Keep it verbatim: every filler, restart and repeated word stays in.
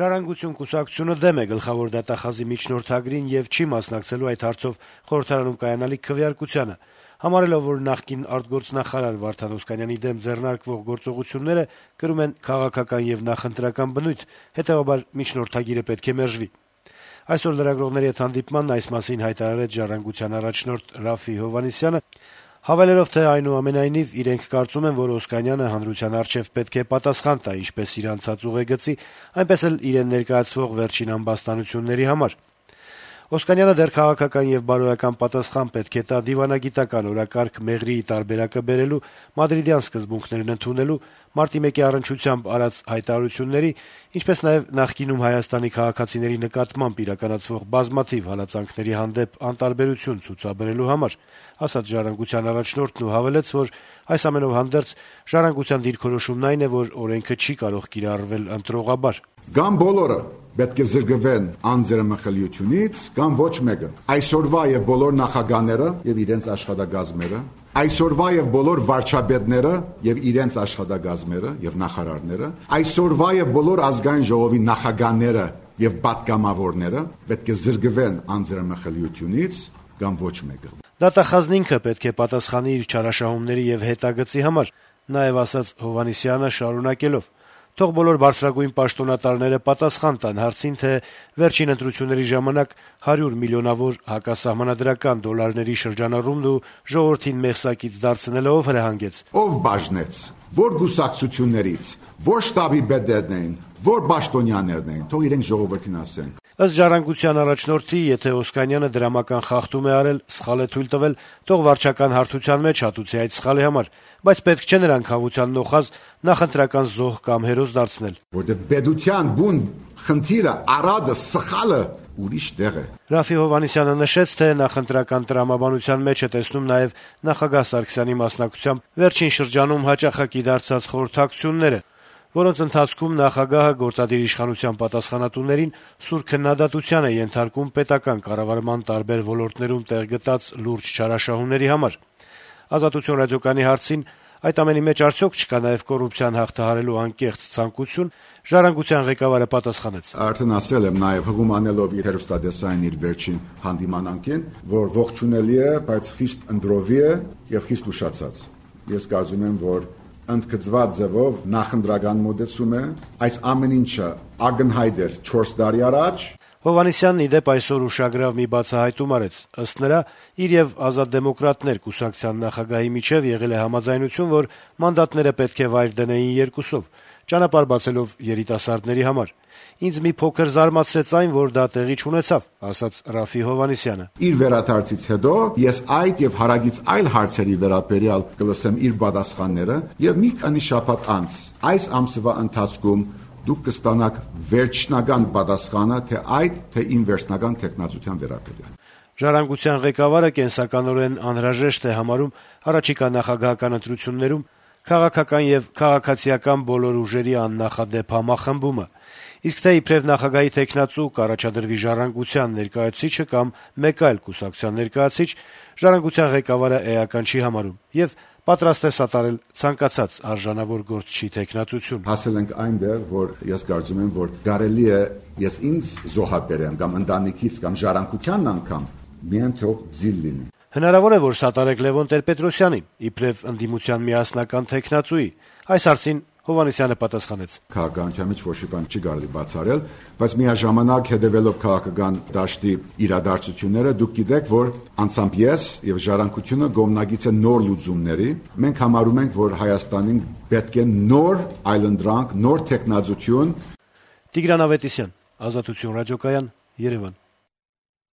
«Ժառանգություն» կուսակցությունը դեմ է գլխավոր դատախազի միջնորդագրին եւ չի մասնակցելու այդ հարցով խորհրդարանում կայանալիք քվեարկությանը, համարելով, որ նախկին արտգործնախարար Վարդան Օսկանյանի դեմ ձեռնարկվող գործողությունները կրում են քաղաքական եւ նախընտրական բնույթ, հետեւաբար միջնորդագիրը պետք է մերժվի։ Այսօր լրագրողների հետ հանդիպմանն այս մասին հայտարարեց «Ժառանգության» առաջնորդ Ռաֆֆի Հովհաննիսյանը, հավելելով, թե այնուամենայնիվ իրենք կարծում են, որ Օսկանյանը հանրության առջեւ պետք է պատասխան տա ինչպես իր անցած ուղեգծի, այնպես էլ իրեն ներկայացվող վերջին ամբաստանությունների համար։ Օսկանյանը դեռ քաղաքական եւ բարոյական պատասխան պետք է տա դիվանագիտական օրակարգ մեղրիի տարբերակը բերելու, մադրիդյան սկզբունքներն ընդունելու, մարտի մեկի առնչությամբ արած հայտարարությունների, ինչպես նաեւ նախկինում Հայաստանի քաղաքացիների նկատմամբ իրականացվող բազմաթիվ հալածանքների հանդեպ անտարբերություն ցուցաբերելու համար, ասաց «Ժառանգության» առաջնորդն ու հավելեց, որ այս ամենով հանդերձ «Ժառանգության» դիրքորոշումն այն է, որ օրենքը չի կարող կիրառվել ընտրողաբար։ Կամ բոլորը պետք է զրկվեն անձեռամխելիությունից, կամ ոչ մեկը։ Այսօրվա եւ բոլոր նախագահները եւ իրենց աշխատակազմերը, այսօրվա եւ բոլոր վարչապետները եւ իրենց աշխատակազմերը եւ նախարարները, այսօրվա եւ բոլոր ազգային ժողովի նախագահները եւ պատգամավորները պետք է զրկվեն անձեռամխելիությունից, կամ ոչ մեկը։ Դատախազն ինքը պետք է պատասխանի իր չարաշահումների եւ հետագծի համար, նաեւ ասաց Հովհաննիսյանը շարունակելով. Թող բոլոր բարձրագույն պաշտոնատարները պատասխան տան հարցին, թե վերջին ընտրությունների ժամանակ հարյուր միլիոնավոր հակասահմանադրական դոլարների շրջանառումն ու ժողովրդին մեղսակից դարձնելը ով հրահանգեց։ Ով բաժնեց, որ գուսակցություններից, որ շտաբի պետերն էին, որ պաշտոնյաներն էին, թող իրենք ժողովրդին ասեն։ Ըստ «Ժառանգության» առաջնորդի, եթե Օսկանյանը դրամական խախտում է արել, սխալ է թույլ տվել, թող վարչական հարթության մեջ հատուցի այդ սխալի համար, բայց պետք չէ նրան խաղաղության նոխազ նախընտրական զոհ կամ հերոս դարձնել։ Որտեղ պետության բուն խնդիրը, արադը, սխալը ուրիշ տեղ է։ Ռաֆֆի Հովհաննիսյանը նշեց, թե նախընտրական տրամաբանության մեջ է տեսնում նաև նախագահ Սարգսյանի մասնակցությամբ վերջին շրջանում հաճախակի դարձած խորհրդակցությունները, որոնց ընթացքում նախագահը գործադիր իշխանության պատասխանատուներին սուր քննադատության է ենթարկում պետական կառավարման տարբեր ոլորտներում տեղ գտած լուրջ չարաշահումների համար։ «Ազատություն» ռադիոկայանի հարցին այդ ամենի մեջ արդյոք չկա նաև կոռուպցիան հաղթահարելու անկեղծ ցանկություն, «Ժառանգության» ղեկավարը պատասխանեց. Արդեն ասել եմ նաև հղում անելով իր հեռուստատեսային իր վերջին հանդիմանանքին, որ ողջունելի է, բայց խիստ ընդրովի է եւ խիստ ուշացած։ Ես կարծում եմ, որ ընդգծված ձևով նախընտրական մոտեցում է, այս ամեն ինչը ակնհայտ էր չորս տարի առաջ։ Հովհաննիսյանն ի դեպ այսօր ուշագրավ մի բացահայտում արեց։ Ըստ նրա, իր եւ Ազատ դեմոկրատներ կուսակցության նախագահի միջեւ եղել է համաձայնություն, որ մանդատները պետք է վայր դնեին երկուսով, ճանապարհ բացելով երիտասարդների համար։ Ինձ մի փոքր զարմացրեց այն, որ դա տեղի չունեցավ, ասաց Ռաֆֆի Հովհաննիսյանը։ Իր վերադարձից հետո ես այդ եւ հարագից այլ հարցերի վերաբերյալ կլսեմ իր պատասխանները եւ մի քանի շաբաթ անց այս ամսվա ընթացքում դուք կստանաք վերջնական պատասխանը թե այդ, թե իմ վերջնական տեխնացության վերաբերյալ։ «Ժառանգության» ղեկավարը կենսականորեն անհրաժեշտ է համարում առաջիկա նախագահական ընտրություններում քաղաքական եւ քաղաքացիական բոլոր ուժերի աննախադեպ համախմբումը, իսկ թե իբրև նախագահի տեխնացու կառաջադրվի «Ժառանգության» ներկայացուցիչը կամ մեկ այլ կուսակցության ներկայացուցիչ, «Ժառանգության» ղեկավարը էական չի համարում եւ պատրաստ է սատարել ցանկացած արժանավոր գործչի տեխնացություն։ Հասել ենք այնտեղ, որ ես կարծում եմ, որ կարելի է ես ինձ զոհաբերեմ կամ ընտանիքից կամ «Ժառանգությանն» անգամ միայն թող ձիլ լինի։ Հնարավոր է, որ սատարեք Լևոն Տեր-Պետրոսյանին, իբրև ընդդիմության միասնական տեխնացուի։ Այս հարցին Հովհաննիսյանը պատասխանեց. Քաղաքականության մեջ ոչ մի բան չի կարելի բացառել, բայց միաժամանակ հետևելով քաղաքական դաշտի իրադարձությունները, դուք գիտեք, որ անցամբ ես եւ «Ժառանգությունը» կողմնակից է նոր լուծումների։ Մենք համարում ենք, որ Հայաստանին պետք է նոր այլընտրանք, նոր տեխնացություն։ Տիգրան Ավետիսյան, Ազատություն ռադիոկայան, Երևան։